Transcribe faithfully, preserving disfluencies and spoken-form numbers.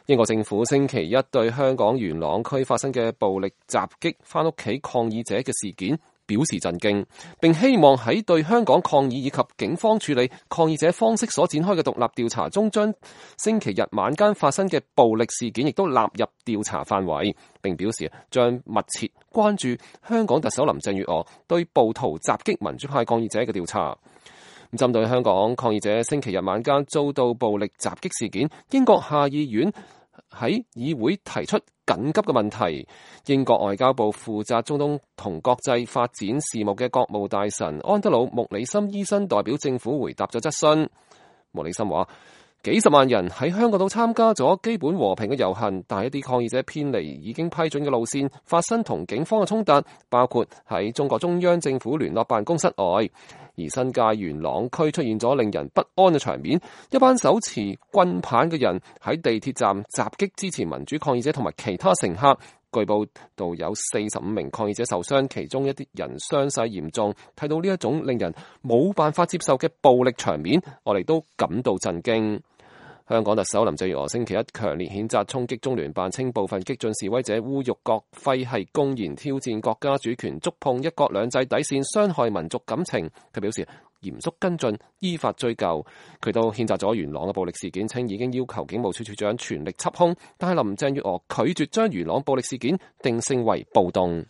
英國政府星期一對香港元朗區發生嘅暴力襲擊返屋企抗議者嘅事件表示震驚，並希望喺對香港抗議以及警方處理抗議者方式所展開嘅獨立調查中，將星期日晚間發生嘅暴力事件亦都納入調查範圍，並表示將密切關注香港特首林鄭月娥對暴徒襲擊民主派抗議者嘅調查。針對香港抗議者星期日晚間遭到暴力襲擊事件，英國下議院喺議會提出緊急嘅問題。英國外交部負責中東同國際發展事務嘅國務大臣安德魯·穆里森醫生代表政府回答咗質詢。穆里森話：幾十萬人喺香港度參加咗基本和平嘅遊行，但係一啲抗議者偏離已經批准嘅路線，發生同警方嘅衝突，包括喺中國中央政府聯絡辦公室外。而新界元朗區出現咗令人不安嘅場面，一班手持棍棒嘅人喺地鐵站襲擊支持民主抗議者同埋其他乘客，據報道有四十五名抗議者受傷，其中一啲人傷勢嚴重。睇到呢一種令人冇辦法接受嘅暴力場面，我哋都感到震驚。香港特首林鄭月娥星期一強烈譴責衝擊中聯辦，稱部分激進示威者侮辱國徽係公然挑戰國家主權，觸碰一國兩制底線，傷害民族感情。佢表示嚴肅跟進，依法追究。佢都譴責咗元朗嘅暴力事件，稱已經要求警務處處長全力緝兇，但係林鄭月娥拒絕將元朗暴力事件定性為暴動。